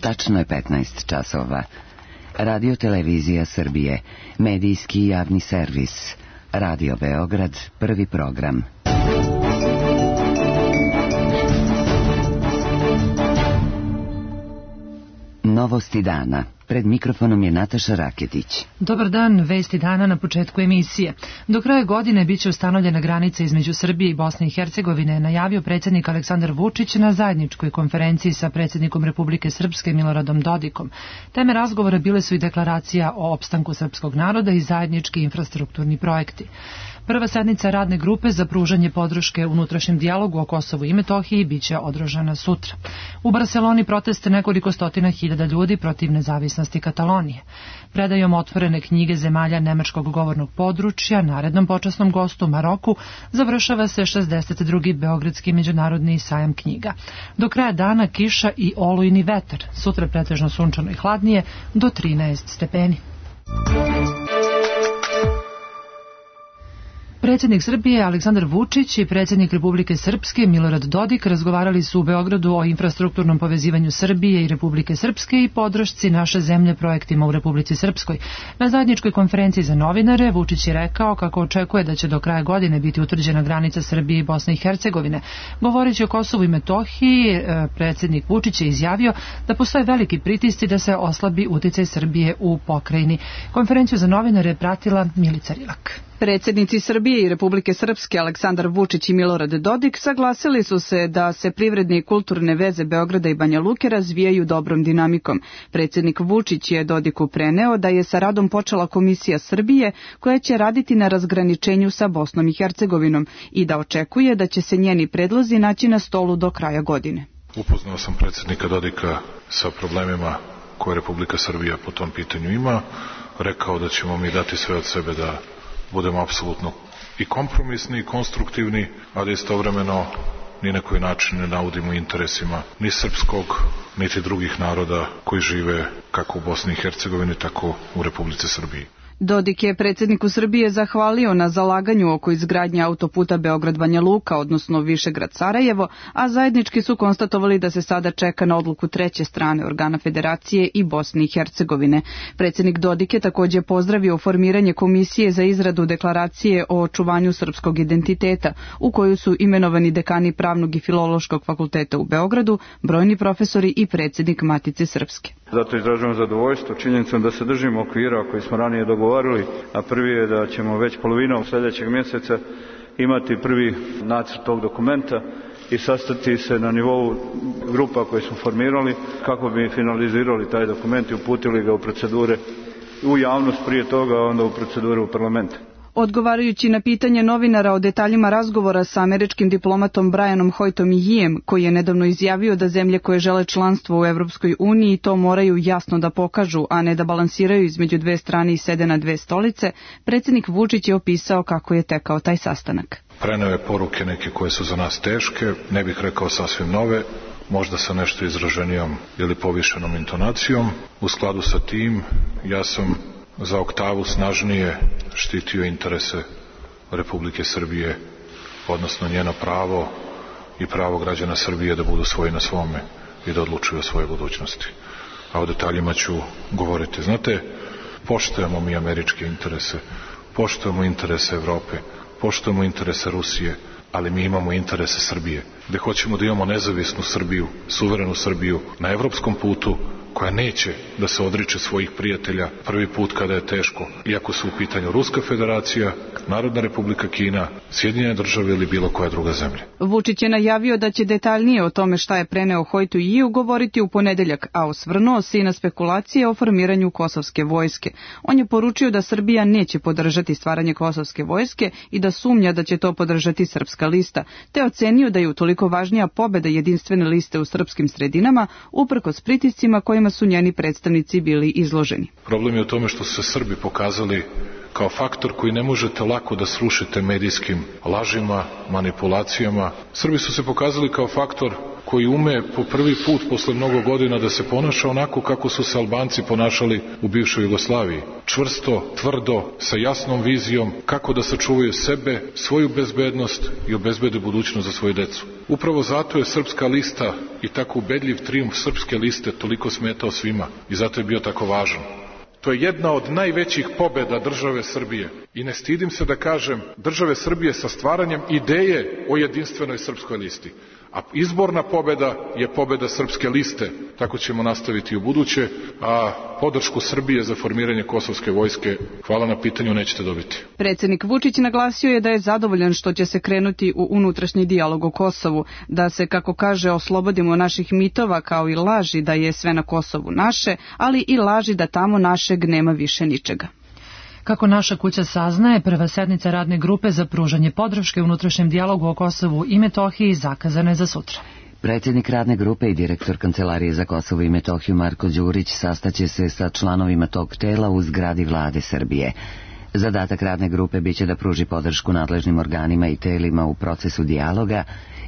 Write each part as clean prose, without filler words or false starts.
Tačno je 15 časova. Radio Televizija Srbije, medijski javni servis. Radio Beograd, prvi program. Novosti dana. Pred mikrofonom je Nataša Raketić. Dobar dan, vesti dana na početku emisije. Do kraja godine biće ustanovljena granica između Srbije i Bosne i Hercegovine, najavio predsjednik Aleksandar Vučić na zajedničkoj konferenciji sa predsjednikom Republike Srpske Miloradom Dodikom. Teme razgovora bile su i deklaracija o opstanku srpskog naroda i zajednički infrastrukturni projekti. Prva sednica radne grupe za pružanje podrške unutrašnjem dijalogu o Kosovu i Metohiji biće održana sutra. U Barseloni proteste nekoliko stotina hiljada ljudi protiv nezavisnosti Katalonije. Predajom otvorene knjige zemalja nemačkog govornog područja narednom počasnom gostu Maroku završava se 62. Beogradski međunarodni sajam knjiga. Do kraja dana kiša i olujni vetar, sutra pretežno sunčano i hladnije do 13 stepeni. Predsjednik Srbije Aleksandar Vučić i predsjednik Republike Srpske Milorad Dodik razgovarali su u Beogradu o infrastrukturnom povezivanju Srbije i Republike Srpske i podršci naše zemlje projektima u Republici Srpskoj. Na zajedničkoj konferenciji za novinare Vučić je rekao kako očekuje da će do kraja godine biti utvrđena granica Srbije i Bosne i Hercegovine. Govoreći o Kosovu i Metohiji, predsjednik Vučić je izjavio da postoje veliki pritisci da se oslabi uticaj Srbije u pokrajini. Konferenciju za novinare je pratila Milica Rilak. Predsjednici Srbije i Republike Srpske Aleksandar Vučić i Milorad Dodik saglasili su se da se privredne i kulturne veze Beograda i Banja Luke razvijaju dobrom dinamikom. Predsjednik Vučić je Dodiku preneo da je sa radom počela Komisija Srbije koja će raditi na razgraničenju sa Bosnom i Hercegovinom i da očekuje da će se njeni predlozi naći na stolu do kraja godine. Upoznao sam predsjednika Dodika sa problemima koje Republika Srbija po tom pitanju ima. Rekao da ćemo mi dati sve od sebe da budemo apsolutno i kompromisni i konstruktivni, ali istovremeno ni na koji način ne naudimo interesima ni srpskog, niti drugih naroda koji žive kako u Bosni i Hercegovini, tako u Republici Srbiji. Dodik je predsjedniku Srbije zahvalio na zalaganju oko izgradnje autoputa Beograd-Banja Luka, odnosno Višegrad-Sarajevo, a zajednički su konstatovali da se sada čeka na odluku treće strane organa Federacije i Bosne i Hercegovine. Predsjednik Dodik je također pozdravio formiranje Komisije za izradu deklaracije o očuvanju srpskog identiteta, u koju su imenovani dekani Pravnog i Filološkog fakulteta u Beogradu, brojni profesori i predsjednik Matice Srpske. Zato izražavam zadovoljstvo činjenicom da se držimo okvira koji smo ranije dogovorili, a prvi je da ćemo već polovinom sljedećeg mjeseca imati prvi nacrt tog dokumenta i sastati se na nivou grupa koje smo formirali kako bi finalizirali taj dokument i uputili ga u procedure u javnost prije toga, a onda u proceduru u parlamentu. Odgovarajući na pitanje novinara o detaljima razgovora sa američkim diplomatom Brianom Hoytom Yeeom, koji je nedavno izjavio da zemlje koje žele članstvo u Evropskoj uniji to moraju jasno da pokažu, a ne da balansiraju između dve strane i sede na dve stolice, predsjednik Vučić je opisao kako je tekao taj sastanak. Preneo je poruke neke koje su za nas teške, ne bih rekao sasvim nove, možda sa nešto izraženijom ili povišenom intonacijom. U skladu sa tim, ja sam za oktavu snažnije štitio interese Republike Srbije, odnosno njeno pravo i pravo građana Srbije da budu svoji na svome i da odlučuju o svojoj budućnosti. A o detaljima ću govoriti. Znate, poštujemo mi američke interese, poštujemo interese Evrope, poštujemo interese Rusije, ali mi imamo interese Srbije, gde hoćemo da imamo nezavisnu Srbiju, suverenu Srbiju na evropskom putu, koja neće da se odriče svojih prijatelja prvi put kada je teško, iako su u pitanju Ruska federacija, Narodna republika Kina, Sjedinjene države ili bilo koja druga zemlja. Vučić je najavio da će detaljnije o tome šta je preneo Hoytu Yeeom govoriti u ponedeljak, a osvrnuo se i na spekulacije o formiranju kosovske vojske. On je poručio da Srbija neće podržati stvaranje kosovske vojske i da sumnja da će to podržati Srpska lista, te ocenio da je utoliko važnija pobeda jedinstvene liste u srpskim sredinama, uprkos pritiscima kojima su njeni predstavnici bili izloženi. Problem je u tome što su se Srbi pokazali kao faktor koji ne možete lako da srušite medijskim lažima, manipulacijama. Srbi su se pokazali kao faktor koji ume po prvi put posle mnogo godina da se ponaša onako kako su se Albanci ponašali u bivšoj Jugoslaviji. Čvrsto, tvrdo, sa jasnom vizijom kako da sačuvaju sebe, svoju bezbednost i obezbede budućnost za svoju decu. Upravo zato je Srpska lista i tako ubedljiv trijumf Srpske liste toliko smetao svima i zato je bio tako važan. To je jedna od najvećih pobeda države Srbije i ne stidim se da kažem države Srbije sa stvaranjem ideje o jedinstvenoj Srpskoj listi. A izborna pobeda je pobeda Srpske liste, tako ćemo nastaviti u buduće, a podršku Srbije za formiranje kosovske vojske, hvala na pitanju, nećete dobiti. Predsjednik Vučić naglasio je da je zadovoljan što će se krenuti u unutrašnji dijalog o Kosovu, da se, kako kaže, oslobodimo naših mitova kao i laži da je sve na Kosovu naše, ali i laži da tamo našeg nema više ničega. Kako naša kuća saznaje, prva sednica radne grupe za pružanje podrške unutrašnjem dijalogu o Kosovu i Metohiji zakazana je za sutra. Predsjednik radne grupe i direktor Kancelarije za Kosovo i Metohiju Marko Đurić sastaće se sa članovima tog tela u zgradi Vlade Srbije. Zadatak radne grupe biće da pruži podršku nadležnim organima i telima u procesu dijaloga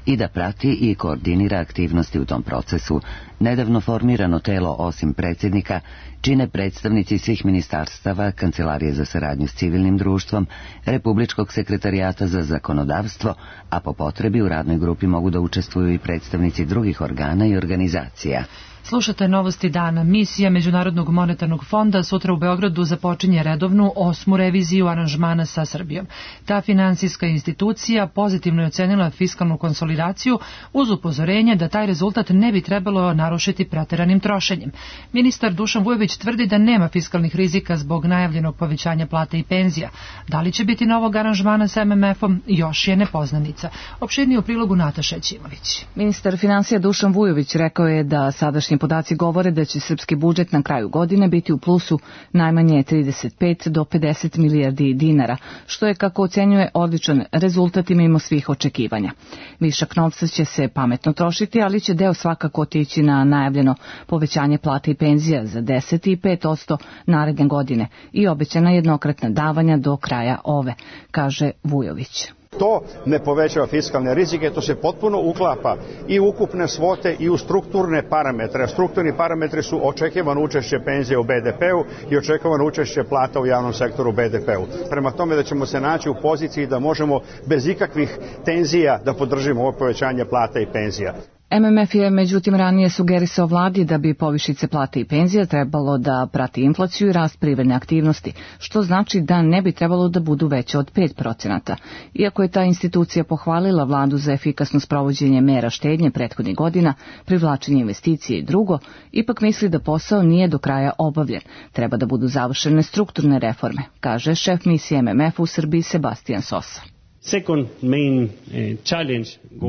i da prati i koordinira aktivnosti u tom procesu. Nedavno formirano telo, osim predsjednika, čine predstavnici svih ministarstava, Kancelarije za saradnju s civilnim društvom, Republičkog sekretarijata za zakonodavstvo, a po potrebi u radnoj grupi mogu da učestvuju i predstavnici drugih organa i organizacija. Slušate novosti dana. Misija Međunarodnog monetarnog fonda sutra u Beogradu započinje redovnu 8. reviziju aranžmana sa Srbijom. Ta finansijska institucija pozitivno je ocenila fiskalnu konsolidaciju uz upozorenje da taj rezultat ne bi trebalo narušiti preteranim trošenjem. Ministar Dušan Vujović tvrdi da nema fiskalnih rizika zbog najavljenog povećanja plata i penzija. Da li će biti novog aranžmana sa MMF-om, još je nepoznanica. Opširnije u prilogu Nataša Ćimović. Ministar finansija Dušan Vujović rekao je da sadašnji podaci govore da će srpski budžet na kraju godine biti u plusu najmanje 35 do 50 milijardi dinara, što je, kako ocenjuje, odličan rezultat i mimo svih očekivanja. Višak novca će se pametno trošiti, ali će deo svakako otići na najavljeno povećanje plata i penzija za 10 i 5% naredne godine i obećana jednokratna davanja do kraja ove, kaže Vujović. To ne povećava fiskalne rizike, to se potpuno uklapa i u ukupne svote i u strukturne parametre. Strukturni parametri su očekivano učešće penzije u BDP-u i očekivano učešće plata u javnom sektoru u BDP-u. Prema tome da ćemo se naći u poziciji da možemo bez ikakvih tenzija da podržimo ovo povećanje plata i penzija. MMF je međutim ranije sugerisao vladi da bi povišice plate i penzija trebalo da prati inflaciju i rast privredne aktivnosti, što znači da ne bi trebalo da budu veće od 5%. Iako je ta institucija pohvalila vladu za efikasno sprovođenje mera štednje prethodnih godina, privlačenje investicije i drugo, ipak misli da posao nije do kraja obavljen. Treba da budu završene strukturne reforme, kaže šef misije MMF u Srbiji Sebastian Sosa.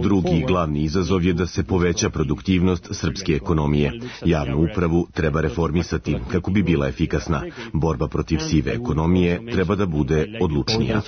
Drugi glavni izazov je da se poveća produktivnost srpske ekonomije. Javnu upravu treba reformisati kako bi bila efikasna. Borba protiv sive ekonomije treba da bude odlučnija.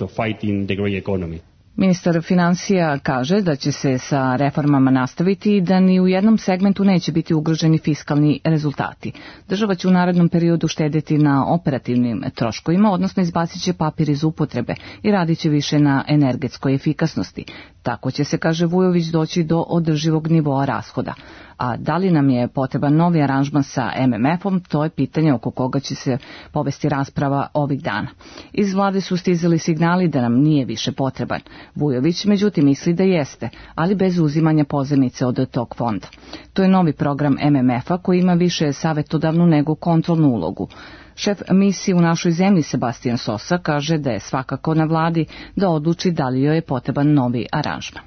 Ministar finansija kaže da će se sa reformama nastaviti i da ni u jednom segmentu neće biti ugroženi fiskalni rezultati. Država će u narednom periodu štedjeti na operativnim troškovima, odnosno izbacit će papir iz upotrebe i radit će više na energetskoj efikasnosti. Tako će se, kaže Vujović, doći do održivog nivoa rashoda. A da li nam je potreban novi aranžman sa MMF-om, to je pitanje oko koga će se povesti rasprava ovih dana. Iz vlade su stizali signali da nam nije više potreban. Vujović međutim misli da jeste, ali bez uzimanja pozajmice od tog fonda. To je novi program MMF-a koji ima više savjetodavnu nego kontrolnu ulogu. Šef misije u našoj zemlji Sebastian Sosa kaže da je svakako na vladi da odluči da li joj je potreban novi aranžman.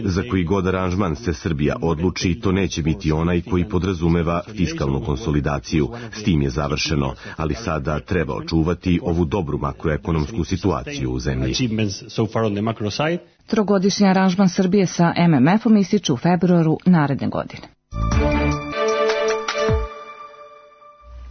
Za koji god aranžman se Srbija odluči, to neće biti onaj koji podrazumeva fiskalnu konsolidaciju. S tim je završeno, ali sada treba očuvati ovu dobru makroekonomsku situaciju u zemlji. Trogodišnji aranžman Srbije sa MMF-om ističe u februaru naredne godine.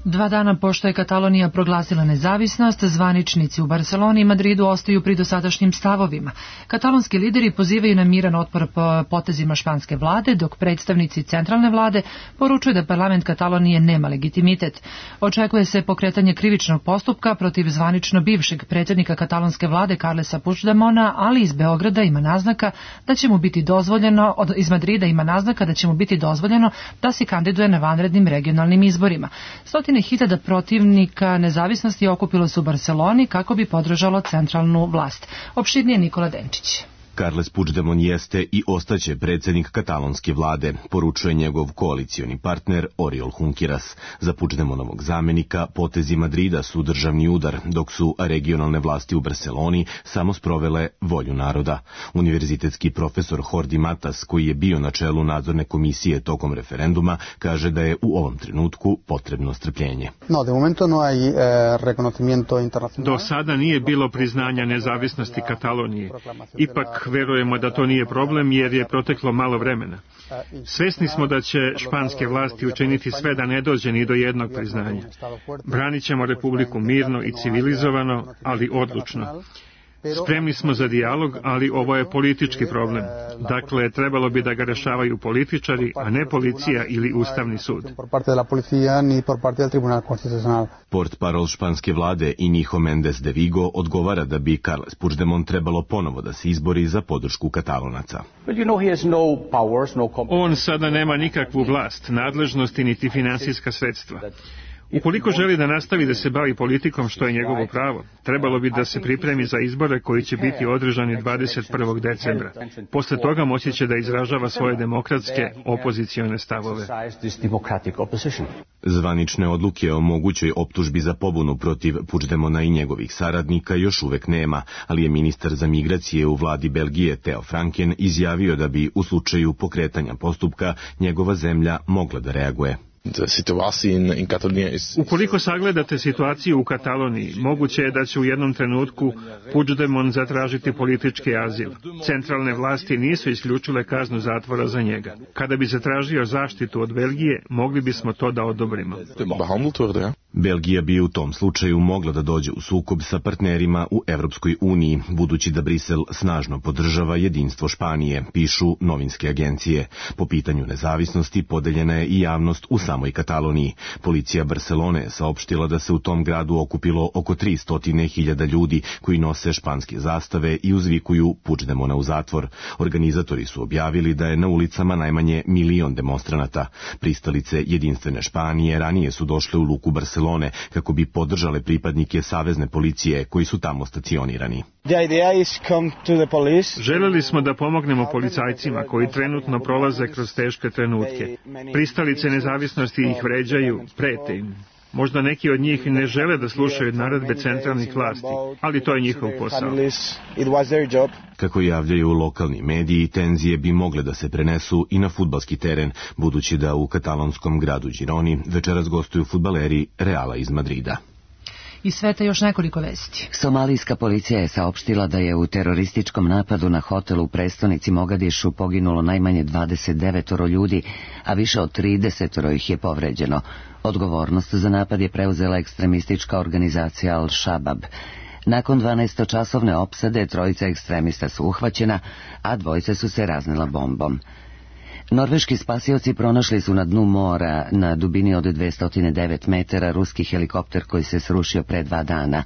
2 dana pošto je Katalonija proglasila nezavisnost, zvaničnici u Barseloni i Madridu ostaju pri dosadašnjim stavovima. Katalonski lideri pozivaju na miran otpor po potezima španske vlade, dok predstavnici centralne vlade poručuju da parlament Katalonije nema legitimitet. Očekuje se pokretanje krivičnog postupka protiv zvanično bivšeg predsjednika katalonske vlade Carlesa Puigdemona, ali iz Beograda ima naznaka da će mu biti dozvoljeno, iz Madrida ima naznaka da će mu biti dozvoljeno da se kandiduje na vanrednim regionalnim izborima. Stotine hiljada protivnika nezavisnosti okupilo se u Barseloni kako bi podržalo centralnu vlast. Opširnije Nikola Denčić. Carles Puigdemont jeste i ostaće predsjednik katalonske vlade, poručuje njegov koalicioni partner Oriol Junqueras. Za Puigdemontovog zamenika potezi Madrida su državni udar, dok su regionalne vlasti u Barseloni samo sprovele volju naroda. Univerzitetski profesor Jordi Matas, koji je bio na čelu nadzorne komisije tokom referenduma, kaže da je u ovom trenutku potrebno strpljenje. Do sada nije bilo priznanja nezavisnosti Katalonije. Ipak verujemo da to nije problem jer je proteklo malo vremena. Svesni smo da će španske vlasti učiniti sve da ne dođe ni do jednog priznanja. Branit ćemo Republiku mirno i civilizovano, ali odlučno. Spremni smo za dijalog, ali ovo je politički problem. Dakle, trebalo bi da ga rešavaju političari, a ne policija ili Ustavni sud. Portparol španske vlade Inigo Méndez de Vigo odgovara da bi Carles Puigdemont trebalo ponovo da se izbori za podršku Katalonaca. On sada nema nikakvu vlast, nadležnosti niti finansijska sredstva. Ukoliko želi da nastavi da se bavi politikom, što je njegovo pravo, trebalo bi da se pripremi za izbore koji će biti održani 21. decembra. Posle toga moći će da izražava svoje demokratske opozicione stavove. Zvanične odluke o mogućoj optužbi za pobunu protiv Puigdemona i njegovih saradnika još uvek nema, ali je ministar za migracije u vladi Belgije Theo Franken izjavio da bi u slučaju pokretanja postupka njegova zemlja mogla da reaguje. Ukoliko sagledate situaciju u Kataloniji, moguće je da će u jednom trenutku Puigdemont zatražiti politički azil. Centralne vlasti nisu isključile kaznu zatvora za njega. Kada bi zatražio zaštitu od Belgije, mogli bismo to da odobrimo. Belgija bi u tom slučaju mogla da dođe u sukob sa partnerima u Evropskoj uniji, budući da Brisel snažno podržava jedinstvo Španije, pišu novinske agencije. Po pitanju nezavisnosti podeljena je i javnost u samoj Kataloniji. Policija Barcelone je saopštila da se u tom gradu okupilo oko 300.000 ljudi koji nose španske zastave i uzvikuju Puigdemona u zatvor. Organizatori su objavili da je na ulicama najmanje 1 milion demonstranata. Pristalice jedinstvene Španije ranije su došle u luku Barcelone kako bi podržale pripadnike savezne policije koji su tamo stacionirani. Želeli smo da pomognemo policajcima koji trenutno prolaze kroz teške trenutke. Pristalice nezavisnosti ih vređaju, prete im. Možda neki od njih ne žele da slušaju naredbe centralnih vlasti, ali to je njihov posao. Kako javljaju lokalni mediji, tenzije bi mogle da se prenesu i na fudbalski teren, budući da u katalonskom gradu Gironi večeras gostuju fudbaleri Reala iz Madrida. Iz sveta još nekoliko vesti. Somalijska policija je saopštila da je u terorističkom napadu na hotel u prestonici Mogadišu poginulo najmanje 29 ljudi, a više od 30 ih je povređeno. Odgovornost za napad je preuzela ekstremistička organizacija Al-Shabaab. Nakon 12-časovne opsade 3 ekstremista su uhvaćena, a 2 su se raznila bombom. Norveški spasioci pronašli su na dnu mora na dubini od 209 metara ruski helikopter koji se srušio pre 2 dana.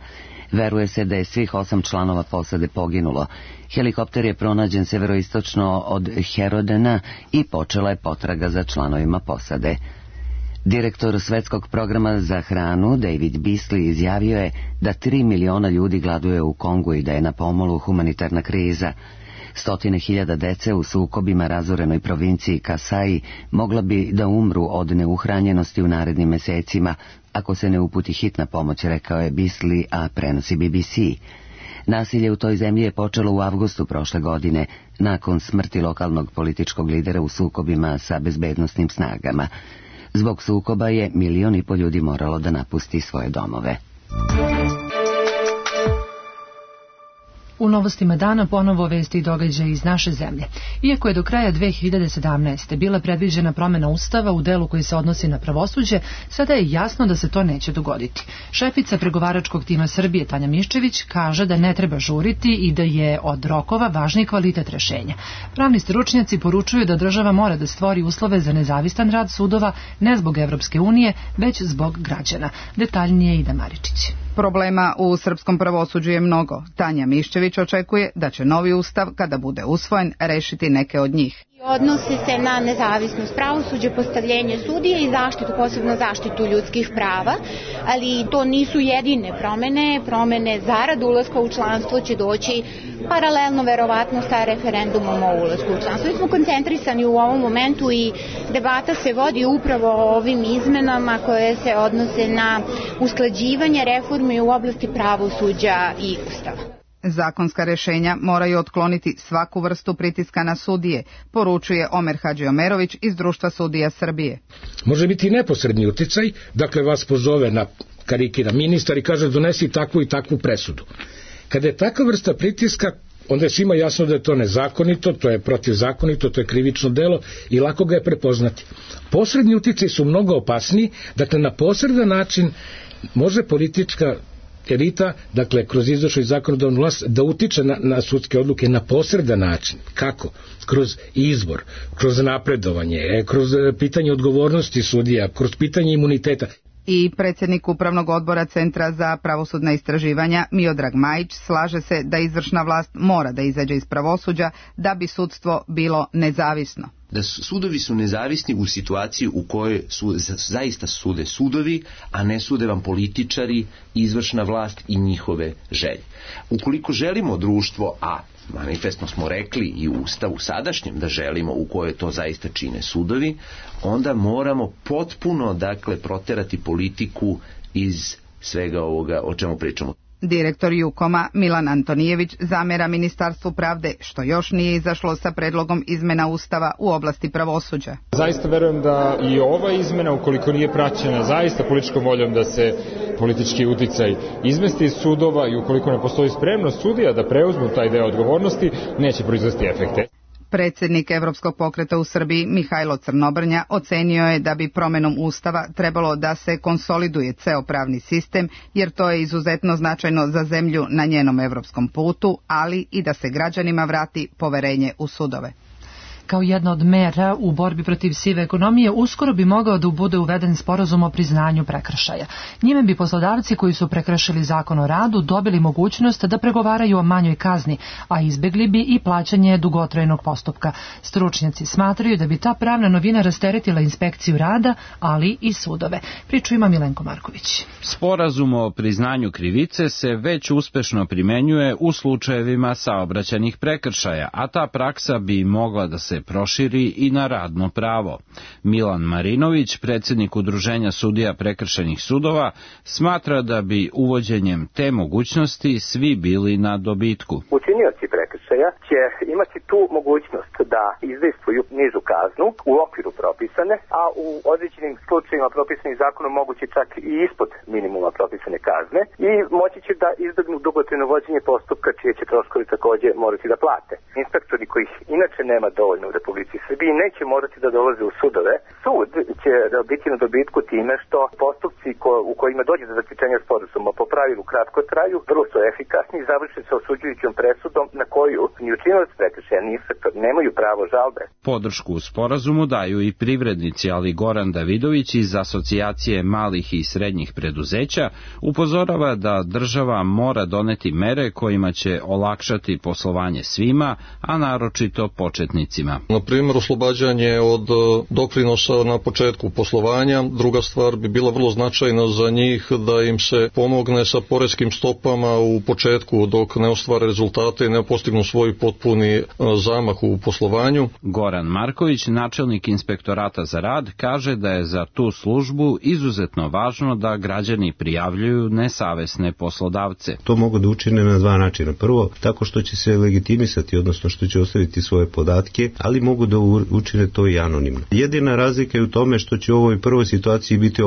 Veruje se da je svih 8 članova posade poginulo. Helikopter je pronađen severoistočno od Herodena i počela je potraga za članovima posade. Direktor Svetskog programa za hranu David Beasley izjavio je da 3 miliona ljudi gladuje u Kongu i da je na pomolu humanitarna kriza. 100.000 dece u sukobima razorenoj provinciji Kasai mogla bi da umru od neuhranjenosti u narednim mesecima ako se ne uputi hitna pomoć, rekao je Beasley, a prenosi BBC. Nasilje u toj zemlji je počelo u avgustu prošle godine, nakon smrti lokalnog političkog lidera u sukobima sa bezbednosnim snagama. Zbog sukoba je 1,5 miliona ljudi moralo da napusti svoje domove. U novostima dana ponovo vesti i događaje iz naše zemlje. Iako je do kraja 2017. bila predviđena promjena Ustava u delu koji se odnosi na pravosuđe, sada je jasno da se to neće dogoditi. Šefica pregovaračkog tima Srbije Tanja Miščević kaže da ne treba žuriti i da je od rokova važniji kvalitet rešenja. Pravni stručnjaci poručuju da država mora da stvori uslove za nezavistan rad sudova ne zbog Evropske unije, već zbog građana. Detaljnije Ida Maričić. Problema u srpskom pravosuđu je mnogo. Tanja Miščević očekuje da će novi ustav, kada bude usvojen, rešiti neke od njih. Odnosi se na nezavisnost pravosuđa, postavljenje sudije i zaštitu, posebno zaštitu ljudskih prava, ali to nisu jedine promene. Promene zarad ulaska u članstvo će doći paralelno verovatno sa referendumom o ulasku u članstvo. Mi smo koncentrisani u ovom momentu i debata se vodi upravo o ovim izmenama koje se odnose na usklađivanje reformi u oblasti pravosuđa i ustava. Zakonska rešenja moraju otkloniti svaku vrstu pritiska na sudije, poručuje Omer Hadžiomerović iz Društva sudija Srbije. Može biti neposredni uticaj, dakle vas pozove na karikira ministar i kaže donesi takvu i takvu presudu. Kada je takva vrsta pritiska, onda je svima jasno da je to nezakonito, to je protivzakonito, to je krivično delo i lako ga je prepoznati. Posredni uticaj su mnogo opasniji, dakle na posredan način može politička elita, dakle kroz izvršnu i zakonodavnu vlast, da utiče na sudske odluke na posredan način. Kako? Kroz izbor, kroz napredovanje, kroz pitanje odgovornosti sudija, kroz pitanje imuniteta. I predsjednik Upravnog odbora Centra za pravosudna istraživanja Miodrag Majić slaže se da izvršna vlast mora da izađe iz pravosuđa da bi sudstvo bilo nezavisno. Da sudovi su nezavisni u situaciji u kojoj su zaista sude sudovi, a ne sude vam političari, izvršna vlast i njihove želje. Ukoliko želimo društvo, a manifestno smo rekli i u Ustavu sadašnjem da želimo u kojoj to zaista čine sudovi, onda moramo potpuno, dakle, proterati politiku iz svega ovoga o čemu pričamo. Direktor Jukoma Milan Antonijević zamera Ministarstvu pravde što još nije izašlo sa predlogom izmena Ustava u oblasti pravosuđa. Zaista verujem da i ova izmena, ukoliko nije praćena zaista političkom voljom da se politički uticaj izmesti iz sudova i ukoliko ne postoji spremnost sudija da preuzmu taj deo odgovornosti, neće proizvesti efekte. Predsjednik Evropskog pokreta u Srbiji Mihajlo Crnobrnja ocenio je da bi promenom Ustava trebalo da se konsoliduje ceo pravni sistem, jer to je izuzetno značajno za zemlju na njenom evropskom putu, ali i da se građanima vrati poverenje u sudove. Kao jedna od mera u borbi protiv sive ekonomije, uskoro bi mogao da bude uveden sporazum o priznanju prekršaja. Njime bi poslodavci koji su prekršili zakon o radu dobili mogućnost da pregovaraju o manjoj kazni, a izbegli bi i plaćanje dugotrajnog postupka. Stručnjaci smatraju da bi ta pravna novina rasteretila inspekciju rada, ali i sudove. Priču ima Milenko Marković. Sporazum o priznanju krivice se već uspešno primenjuje u slučajevima saobraćajnih prekršaja, a ta praksa bi mogla da se proširi i na radno pravo. Milan Marinović, predsjednik Udruženja sudija prekršajnih sudova, smatra da bi uvođenjem te mogućnosti svi bili na dobitku. Učinioci prekršaja će imati tu mogućnost da izdejstvuju nižu kaznu u okviru propisane, a u određenim slučajima propisanih zakonom moguće čak i ispod minimuma propisane kazne i moći će da izbegnu dugotrajno vođenje postupka čije će troškovi takođe morati da plate. Inspektori kojih inače nema dovoljno u Republici Srbiji neće morati da dolaze u sudove. Sud će biti na dobitku time što postupci u kojima dođe do zaključenja sporazuma po pravilu kratko traju, vrlo su efikasni i završe sa osuđujućom presudom na koju ni učinilac prekršaja ni inspektor nemaju pravo žalbe. Podršku u sporazumu daju i privrednici, ali Goran Davidović iz Asocijacije malih i srednjih preduzeća upozorava da država mora doneti mere kojima će olakšati poslovanje svima, a naročito početnicima. Na primjer, oslobađanje od doprinosa na početku poslovanja. Druga stvar bi bila vrlo značajna za njih da im se pomogne sa poreskim stopama u početku dok ne ostvare rezultate i ne postignu svoj potpuni zamah u poslovanju. Goran Marković, načelnik inspektorata za rad, kaže da je za tu službu izuzetno važno da građani prijavljuju nesavesne poslodavce. To mogu da učine na dva načina. Prvo, tako što će se legitimisati, odnosno što će ostaviti svoje podatke, ali mogu da učine to i anonimno. Jedina razlika je u tome što će u ovoj prvoj situaciji biti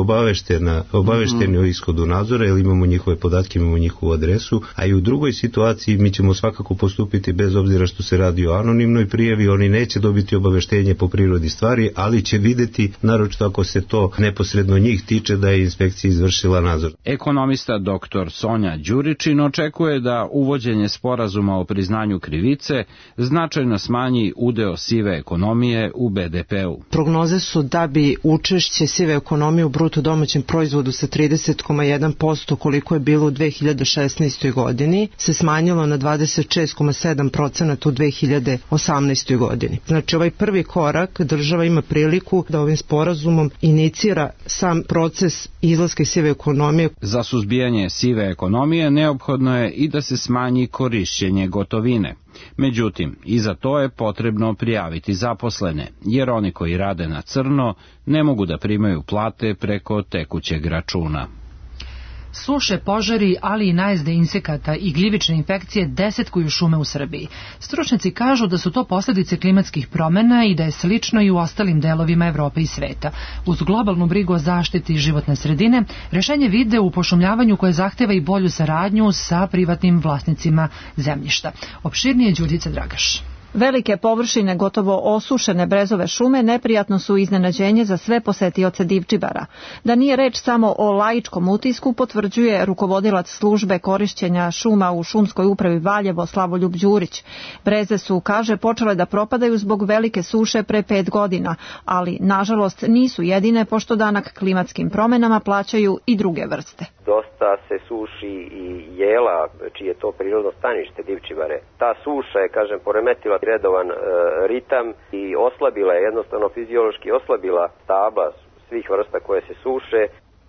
obavešteni o ishodu nadzora, jer imamo njihove podatke, imamo njihovu adresu, a i u drugoj situaciji mi ćemo svakako postupiti bez obzira što se radi o anonimnoj prijavi, oni neće dobiti obaveštenje po prirodi stvari, ali će videti, naročito ako se to neposredno njih tiče, da je inspekcija izvršila nadzor. Ekonomista dr. Sonja Đuričin očekuje da uvođenje sporazuma o priznanju krivice značajno smanji udeo sive ekonomije u BDP-u. Prognoze su da bi učešće sive ekonomije u bruto domaćem proizvodu sa 30,1% koliko je bilo u 2016. godini se smanjilo na 26,7% u 2018. godini. Znači ovaj prvi korak država ima priliku da ovim sporazumom inicira sam proces izlaska iz sive ekonomije. Za suzbijanje sive ekonomije neophodno je i da se smanji korišćenje gotovine. Međutim, i za to je potrebno prijaviti zaposlene, jer oni koji rade na crno ne mogu da primaju plate preko tekućeg računa. Suše, požari, ali i najezde insekata i gljivične infekcije desetkuju šume u Srbiji. Stručnjaci kažu da su to posljedice klimatskih promjena i da je slično i u ostalim delovima Evrope i sveta. Uz globalnu brigu o zaštiti životne sredine, rešenje vide u pošumljavanju koje zahteva i bolju saradnju sa privatnim vlasnicima zemljišta. Opširnije Đurđica Dragaš. Velike površine gotovo osušene brezove šume neprijatno su iznenađenje za sve posetioce Divčibara. Da nije reč samo o laičkom utisku potvrđuje rukovodilac službe korišćenja šuma u šumskoj upravi Valjevo Slavoljub Đurić. Breze su, kaže, počele da propadaju zbog velike suše pre 5 godina, ali nažalost nisu jedine pošto danak klimatskim promenama plaćaju i druge vrste. Dosta se suši i jela, čije je to prirodno stanište Divčibare. Ta suša je, kažem, poremetila redovan ritam i oslabila je, jednostavno fiziološki oslabila stabla svih vrsta koje se suše.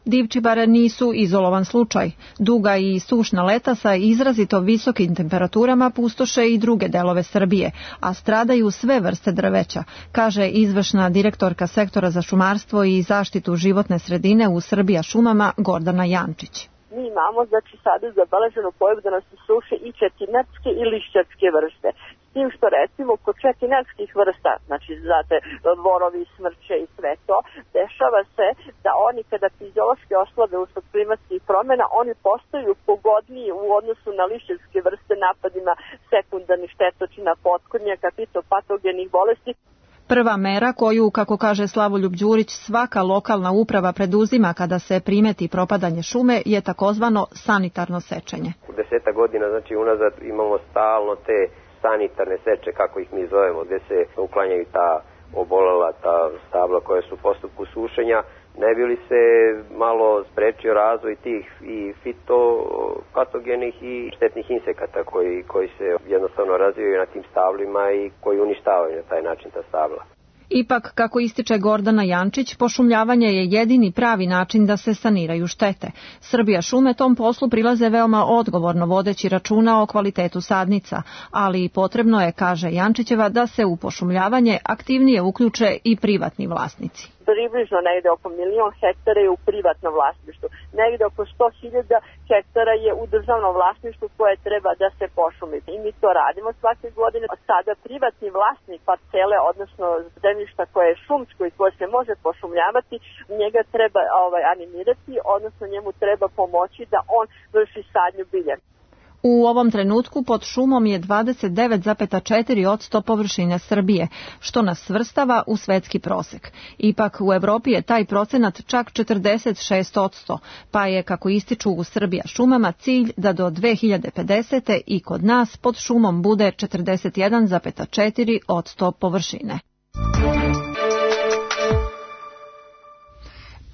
Divčibare nisu izolovan slučaj. Duga i sušna leta sa izrazito visokim temperaturama pustoše i druge delove Srbije, a stradaju sve vrste drveća, kaže izvršna direktorka sektora za šumarstvo i zaštitu životne sredine u Srbija šumama Gordana Jančić. Mi imamo, znači, sada zabeleženu pojavu da nas se suše i četinarske i lišćarske vrste. S tim što, recimo, kod četinarskih vrsta, znači, znate, borovi, smrče i sve to, dešava se da oni kada fiziološki oslabe usled klimatskih promjena, oni postaju pogodniji u odnosu na lišćarske vrste napadima sekundarnih štetočina, potkornjaka, fitopatogenih bolesti. Prva mera koju, kako kaže Slavoljub Đurić, svaka lokalna uprava preduzima kada se primeti propadanje šume je takozvano sanitarno sečenje. U 10 godina, znači unazad, imamo stalno te sanitarne seče, kako ih mi zovemo, gdje se uklanjaju ta obolela, ta stabla koja su u postupku sušenja, ne bi li se malo sprečio razvoj tih i fitopatogenih i štetnih insekata koji se jednostavno razvijaju na tim stablima i koji uništavaju na taj način ta stabla. Ipak, kako ističe Gordana Jančić, pošumljavanje je jedini pravi način da se saniraju štete. Srbija šume tom poslu prilaze veoma odgovorno vodeći računa o kvalitetu sadnica, ali potrebno je, kaže Jančićeva, da se u pošumljavanje aktivnije uključe i privatni vlasnici. Približno negde oko 1 milion hektara je u privatnom vlasništvu. Negde oko 100.000 hektara je u državnom vlasništvu koje treba da se pošumi. I mi to radimo svake godine. Sada privatni vlasnik parcele, odnosno zemljišta koje je šumsko i koje se može pošumljavati, njega treba animirati, odnosno njemu treba pomoći da on vrši sadnju bilja. U ovom trenutku pod šumom je 29,4% površine Srbije, što nas svrstava u svetski prosek. Ipak u Evropi je taj procenat čak 46%, pa je, kako ističu u Srbija šumama, cilj da do 2050. i kod nas pod šumom bude 41,4% površine.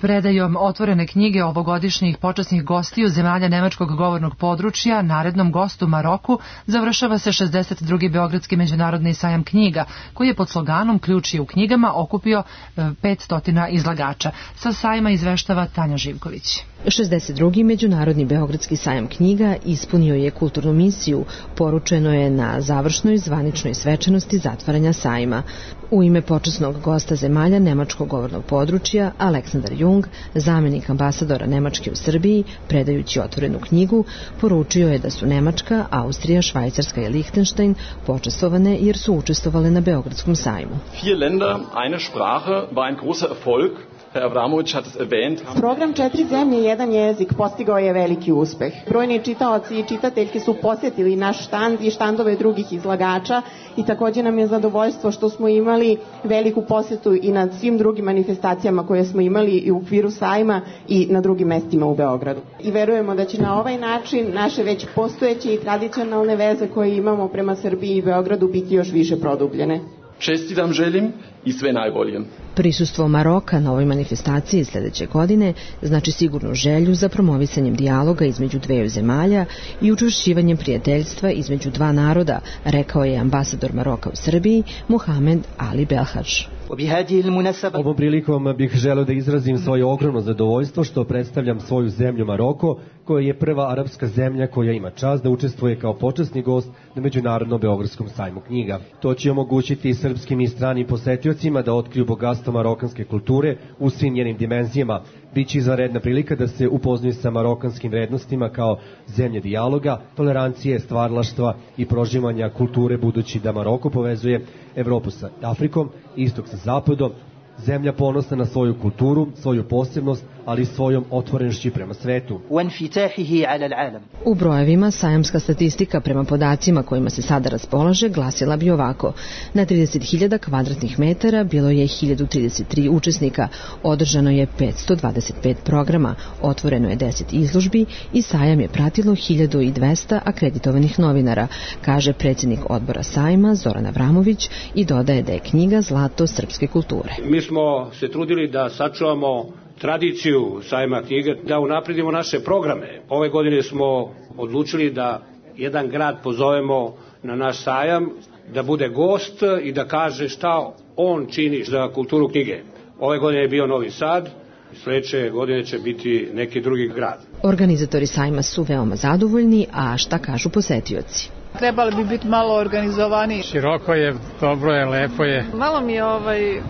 Predajom otvorene knjige ovogodišnjih počasnih gostiju zemalja nemačkog govornog područja narednom gostu Maroku završava se 62. Beogradski međunarodni sajam knjiga, koji je pod sloganom Ključ je u knjigama okupio 500 izlagača. Sa sajma izveštava Tanja Živković. 62. Međunarodni Beogradski sajam knjiga ispunio je kulturnu misiju, poručeno je na završnoj zvaničnoj svečanosti zatvaranja sajma. U ime počasnog gosta zemalja nemačkog govornog područja, Aleksandar Jung, zamenik ambasadora Nemačke u Srbiji, predajući otvorenu knjigu, poručio je da su Nemačka, Austrija, Švajcarska i Lihtenštajn počastvovane jer su učestvovale na Beogradskom sajmu. 4 Länder, eine Sprache war ein großer Erfolg. Herr Avramović hat es erwähnt. Program 4 zemlje, jedan jezik postigao je veliki uspeh. Brojni čitaoci i čitateljke su posjetili naš štand i štandove drugih izlagača i također nam je zadovoljstvo što smo imali veliku posjetu i na svim drugim manifestacijama koje smo imali i u okviru sajma i na drugim mestima u Beogradu. I verujemo da će na ovaj način naše već postojeće i tradicionalne veze koje imamo prema Srbiji i Beogradu biti još više produbljene. Čestitam želim i sve najbolje. Prisustvo Maroka na ovoj manifestaciji sljedeće godine znači sigurnu želju za promovisanjem dijaloga između dveju zemalja i učvršćivanjem prijateljstva između dva naroda, rekao je ambasador Maroka u Srbiji, Mohamed Ali Belhadž. Ovom prilikom bih želeo da izrazim svoje ogromno zadovoljstvo što predstavljam svoju zemlju Maroko, koja je prva arapska zemlja koja ima čast da učestvuje kao počasni gost na Međunarodnom Beogradskom sajmu knjiga. To će omogućiti i srpskim i stranim posetiocima da otkriju bogatstvo marokanske kulture u svim njenim dimenzijama. Biće izvanredna prilika da se upoznaju sa marokanskim vrednostima kao zemlje dijaloga, tolerancije, stvaralaštva i prožimanja kulture, budući da Maroko povezuje Evropu sa Afrikom, istok sa zapadom, zemlja ponosna na svoju kulturu, svoju posebnost, ali i svojom otvorenošću prema svetu. U brojevima sajamska statistika prema podacima kojima se sada raspolaže glasila bi ovako. Na 30.000 kvadratnih metara bilo je 1033 učesnika, održano je 525 programa, otvoreno je 10 izložbi i sajam je pratilo 1200 akreditovanih novinara, kaže predsjednik odbora sajma Zoran Avramović i dodaje da je knjiga zlato srpske kulture. Mi smo se trudili da sačuvamo tradiciju sajma knjige, da unapredimo naše programe. Ove godine smo odlučili da jedan grad pozovemo na naš sajam, da bude gost i da kaže šta on čini za kulturu knjige. Ove godine je bio Novi Sad, sljedeće godine će biti neki drugi grad. Organizatori sajma su veoma zadovoljni, a šta kažu posetioci? Trebali bi biti malo organizovaniji. Široko je, dobro je, lepo je. Malo mi je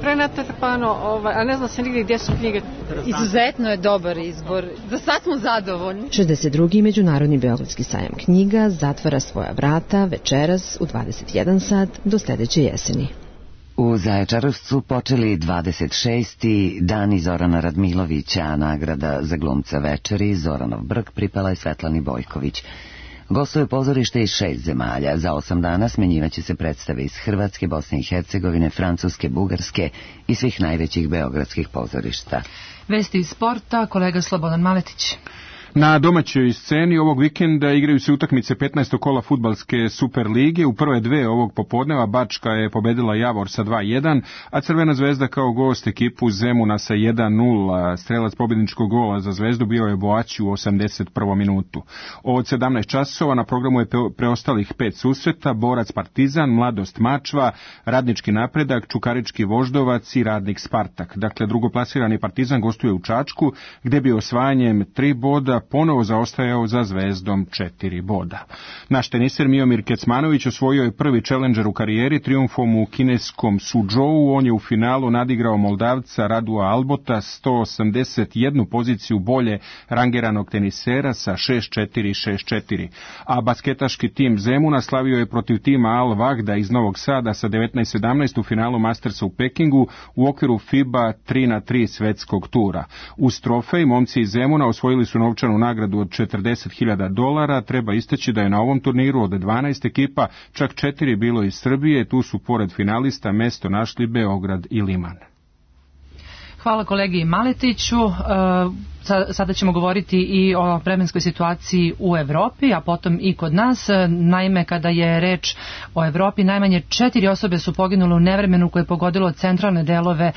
prenatrpano, a ne znam se nigdje gdje su knjige. Izuzetno je dobar izbor. Za sad smo zadovoljni. 62. Međunarodni Beogradski sajam knjiga zatvara svoja vrata večeras u 21 sat do sljedeće jeseni. U Zaječaru su počeli 26. dani Zorana Radmilovića, a nagrada za glumca večeri Zoranov Brk pripala je Svetlani Bojković. Gostuje pozorište iz 6 zemalja. Za 8 dana smenjivaće se predstave iz Hrvatske, Bosne i Hercegovine, Francuske, Bugarske i svih najvećih beogradskih pozorišta. Vesti iz sporta, kolega Slobodan Maletić. Na domaćoj sceni ovog vikenda igraju se utakmice 15. kola fudbalske Super lige. U prve dve ovog popodneva Bačka je pobedila Javor sa 2-1, a Crvena zvezda kao gost ekipu Zemuna sa 1-0. Strelac pobjedničkog gola za Zvezdu bio je Boaći u 81. minutu. Od 17 časova na programu je preostalih 5 susreta: Borac Partizan, Mladost Mačva, Radnički Napredak, Čukarički Voždovac i Radnik Spartak. Dakle, drugoplasirani Partizan gostuje u Čačku, gde bi osvajanjem 3 boda ponovo zaostajao za Zvezdom 4 boda. Naš teniser Miomir Kecmanović osvojio je prvi challenger u karijeri trijumfom u kineskom Suzhou. On je u finalu nadigrao Moldavca Radua Albota 181 poziciju bolje rangiranog tenisera sa 6-4 i 6-4. A basketaški tim Zemuna slavio je protiv tima Al Vahda iz Novog Sada sa 19-17 u finalu Mastersa u Pekingu u okviru FIBA 3x3 svetskog tura. Uz trofej momci iz Zemuna osvojili su novčanu nagradu od $40.000. Treba istaći da je na ovom turniru od 12 ekipa čak 4 bilo iz Srbije. Tu su pored finalista mesto našli Beograd i Liman. Hvala kolegi Maletiću. Sada ćemo govoriti i o vremenskoj situaciji u Evropi, a potom i kod nas. Naime, kada je reč o Evropi, najmanje 4 osobe su poginule u nevremenu koje je pogodilo centralne delove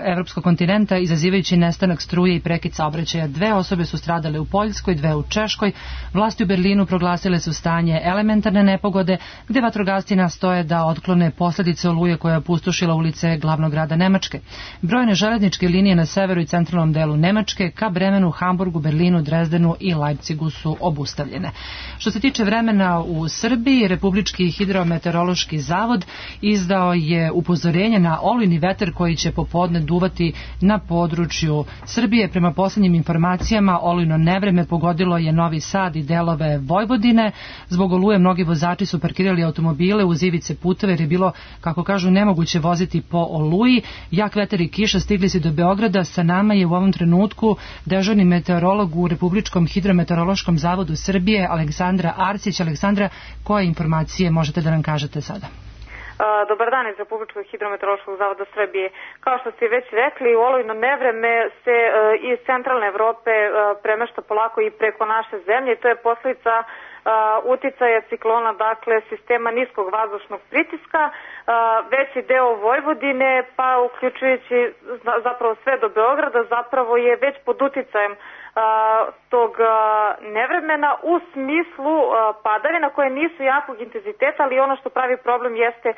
evropskog kontinenta, izazivajući nestanak struje i prekid saobraćaja. 2 osobe su stradale u Poljskoj, 2 u Češkoj. Vlasti u Berlinu proglasile su stanje elementarne nepogode, gde vatrogasci nastoje da otklone posledice oluje koja je opustošila ulice glavnog grada Nemačke. Brojne železničke linije na severu i centralnom delu Nemačke ka Bremenu, Hamburgu, Berlinu, Drezdenu i Leipzigu su obustavljene. Što se tiče vremena u Srbiji, Republički hidrometeorološki zavod izdao je upozorenje na olujni vetar koji će popodne duvati na području Srbije. Prema poslednjim informacijama, olujno nevreme pogodilo je Novi Sad i delove Vojvodine. Zbog oluje mnogi vozači su parkirali automobile uz ivice puteve jer je bilo, kako kažu, nemoguće voziti po oluji. Jak vetar i kiša stigli su do Beograda. Sa nama je u ovom trenutku dežurni meteorolog u Republičkom hidrometeorološkom zavodu Srbije, Aleksandra Arsić. Aleksandra, koje informacije možete da nam kažete sada? Dobar dan iz Republičkog hidrometeorološkog zavoda Srbije. Kao što ste već rekli, olujno nevreme se iz centralne Evrope premešta polako i preko naše zemlje. To je posljedica uticaja ciklona, dakle sistema niskog vazdušnog pritiska. Veći deo Vojvodine, pa uključujući zapravo sve do Beograda, zapravo je već pod uticajem tog nevremena u smislu padavina koje nisu jakog intenziteta, ali ono što pravi problem jeste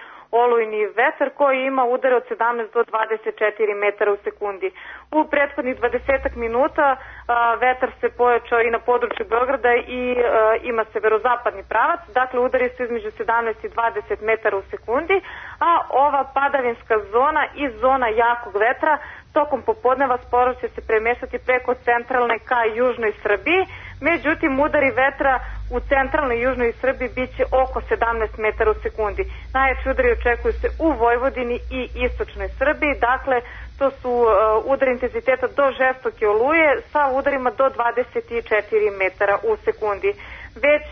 olujni vetar koji ima udare od 17 do 24 metara u sekundi. U prethodnih 20 minuta vetar se pojačao i na području Beograda i ima severozapadni pravac, dakle udari su između 17 i 20 metara u sekundi, a ova padavinska zona i zona jakog vetra tokom popodneva sporo će se premešati preko centralne ka južnoj Srbiji, međutim udari vetra u centralnoj i južnoj Srbiji bit će oko 17 metara u sekundi. Najjači udari očekuju se u Vojvodini i istočnoj Srbiji, dakle to su udari intenziteta do žestoke oluje sa udarima do 24 metara u sekundi. Već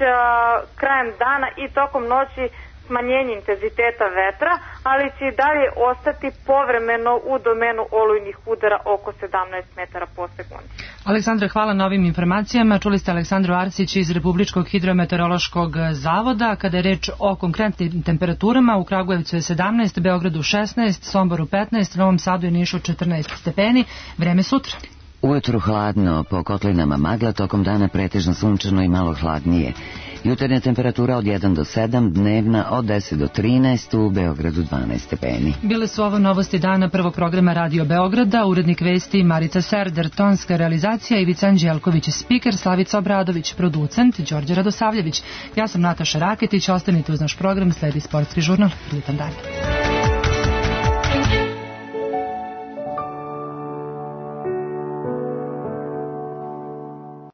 krajem dana i tokom noći smanjenje intenziteta vetra, ali će i dalje ostati povremeno u domenu olujnih udara oko 17 metara po sekundi. Aleksandra, hvala na ovim informacijama. Čuli ste Aleksandru Arsić iz Republičkog hidrometeorološkog zavoda. Kada je reč o konkretnim temperaturama, u Kragujevcu je 17, Beogradu 16, Somboru 15, Novom Sadu i Nišu 14 stepeni. Vreme sutra. Ujutru hladno, po kotlinama magla, tokom dana pretežno sunčano i malo hladnije. Jutarnja temperatura od 1 do 7, dnevna od 10 do 13, u Beogradu 12 stepeni. Bile su ovo novosti dana prvog programa Radio Beograda, urednik vesti Marica Serder, tonska realizacija Ivica Anđelković, spiker Slavica Obradović, producent Đorđe Radosavljević. Ja sam Nataša Raketić, ostanite uz naš program, sledi sportski žurnal. Prijetan dan.